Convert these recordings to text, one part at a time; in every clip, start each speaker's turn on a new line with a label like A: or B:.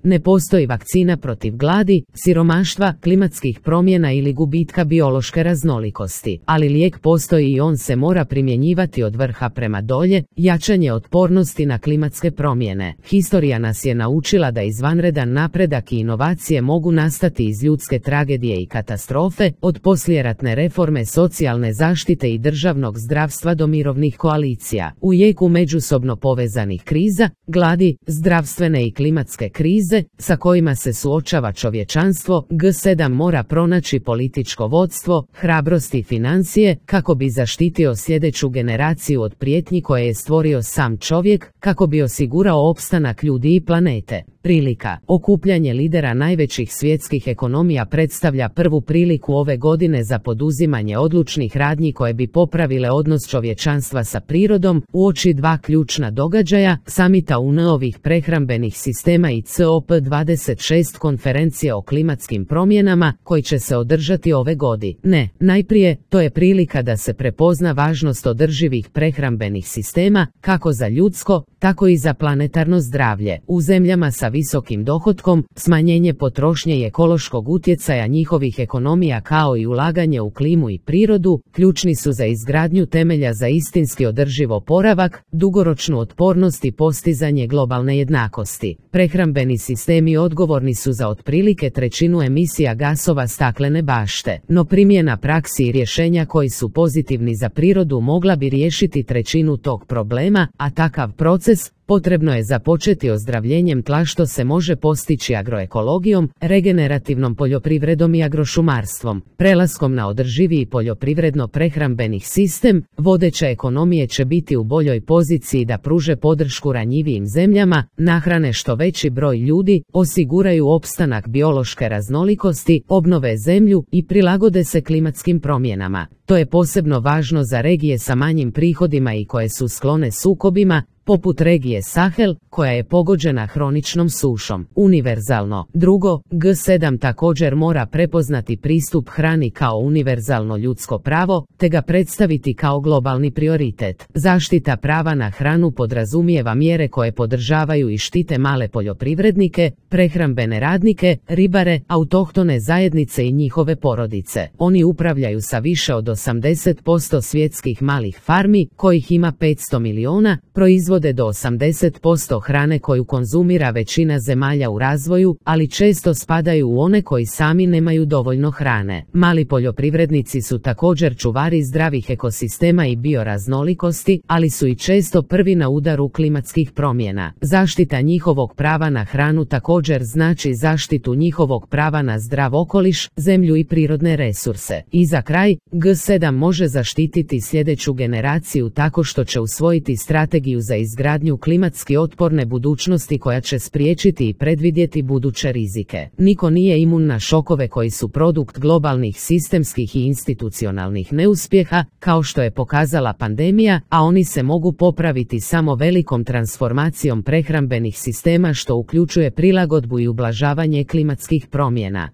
A: Ne postoji vakcina protiv gladi, siromaštva, klimatskih promjena ili gubitka biološke raznolikosti, ali lijek postoji i on se mora primjenjivati od vrha prema dolje, jačanje otpornosti na klimatske promjene. Historija nas je naučila da izvanredan napredak i inovacije mogu nastati iz ljudske tragedije i katastrofe, od poslijeratne reforme socijalne zaštite i državnog zdravstva do mirovnih koalicija. U jeku međusobno povezanih kriza, gladi, zdravstvene i klimatske krize, sa kojima se suočava čovječanstvo, G7 mora pronaći političko vodstvo, hrabrost i financije, kako bi zaštitio sljedeću generaciju od prijetnji koje je stvorio sam čovjek, kako bi osigurao opstanak ljudi i planete. Prilika. Okupljanje lidera najvećih svjetskih ekonomija predstavlja prvu priliku ove godine za poduzimanje odlučnih radnji koje bi popravile odnos čovječanstva sa prirodom, uoči dva ključna događaja, samita UN-ovih prehrambenih sistema i COP26 konferencije o klimatskim promjenama, koji će se održati ove godine. Najprije, to je prilika da se prepozna važnost održivih prehrambenih sistema, kako za ljudsko, tako i za planetarno zdravlje. U zemljama sa visokim dohotkom, smanjenje potrošnje i ekološkog utjecaja njihovih ekonomija kao i ulaganje u klimu i prirodu, ključni su za izgradnju temelja za istinski održiv oporavak, dugoročnu otpornost i postizanje globalne jednakosti. Prehrambeni sistemi odgovorni su za otprilike trećinu emisija gasova staklene bašte, no primjena praksi i rješenja koji su pozitivni za prirodu mogla bi riješiti trećinu tog problema, a takav proces potrebno je započeti ozdravljenjem tla, što se može postići agroekologijom, regenerativnom poljoprivredom i agrošumarstvom. Prelaskom na održiviji poljoprivredno-prehrambenih sistem, vodeće ekonomije će biti u boljoj poziciji da pruže podršku ranjivijim zemljama, nahrane što veći broj ljudi, osiguraju opstanak biološke raznolikosti, obnove zemlju i prilagode se klimatskim promjenama. To je posebno važno za regije sa manjim prihodima i koje su sklone sukobima, poput regije Sahel, koja je pogođena hroničnom sušom. Univerzalno. Drugo, G7 također mora prepoznati pristup hrani kao univerzalno ljudsko pravo, te ga predstaviti kao globalni prioritet. Zaštita prava na hranu podrazumijeva mjere koje podržavaju i štite male poljoprivrednike, prehrambene radnike, ribare, autohtone zajednice i njihove porodice. Oni upravljaju sa više od 80% svjetskih malih farmi, kojih ima 500 miliona, proizvode do 80% hrane koju konzumira većina zemalja u razvoju, ali često spadaju u one koji sami nemaju dovoljno hrane. Mali poljoprivrednici su također čuvari zdravih ekosistema i bioraznolikosti, ali su i često prvi na udaru klimatskih promjena. Zaštita njihovog prava na hranu također znači zaštitu njihovog prava na zdrav okoliš, zemlju i prirodne resurse. I za kraj, G7 može zaštititi sljedeću generaciju tako što će usvojiti strategiju za izgradnju klimatski otporne budućnosti koja će spriječiti i predvidjeti buduće rizike. Niko nije imun na šokove koji su produkt globalnih sistemskih i institucionalnih neuspjeha, kao što je pokazala pandemija, a oni se mogu popraviti samo velikom transformacijom prehrambenih sistema, što uključuje prilagodbu i ublažavanje klimatskih promjena.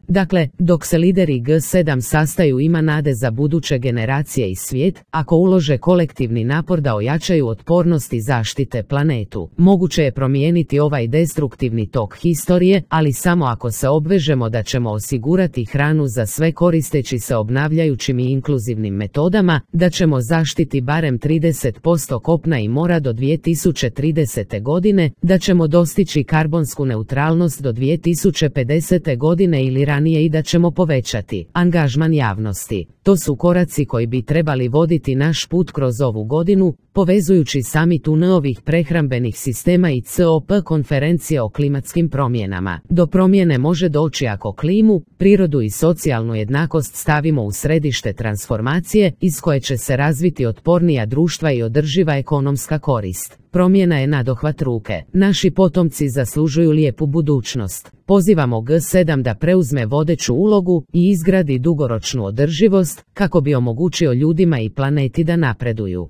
A: Dakle, dok se lideri G7 sastaju, ima nade za buduće generacije i svijet, ako ulože kolektivni napor da ojačaju otpornost i zaštite planetu. Moguće je promijeniti ovaj destruktivni tok historije, ali samo ako se obvežemo da ćemo osigurati hranu za sve koristeći se obnavljajućim i inkluzivnim metodama, da ćemo zaštiti barem 30% kopna i mora do 2030. godine, da ćemo dostići karbonsku neutralnost do 2050. godine ili ranije i da ćemo povećati angažman javnosti. To su koraci koji bi trebali voditi naš put kroz ovu godinu, povezujući samit UN-ovih prehrambenih sistema i COP konferencije o klimatskim promjenama. Do promjene može doći ako klimu, prirodu i socijalnu jednakost stavimo u središte transformacije, iz koje će se razviti otpornija društva i održiva ekonomska korist. Promjena je nadohvat ruke. Naši potomci zaslužuju lijepu budućnost. Pozivamo G7 da preuzme vodeću ulogu i izgradi dugoročnu održivost, kako bi omogućio ljudima i planeti da napreduju.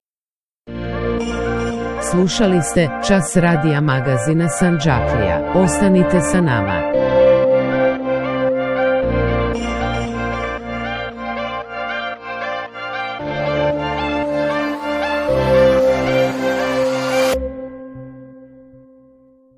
A: Slušali ste Čas radija magazina Sandžaklija. Ostanite sa nama.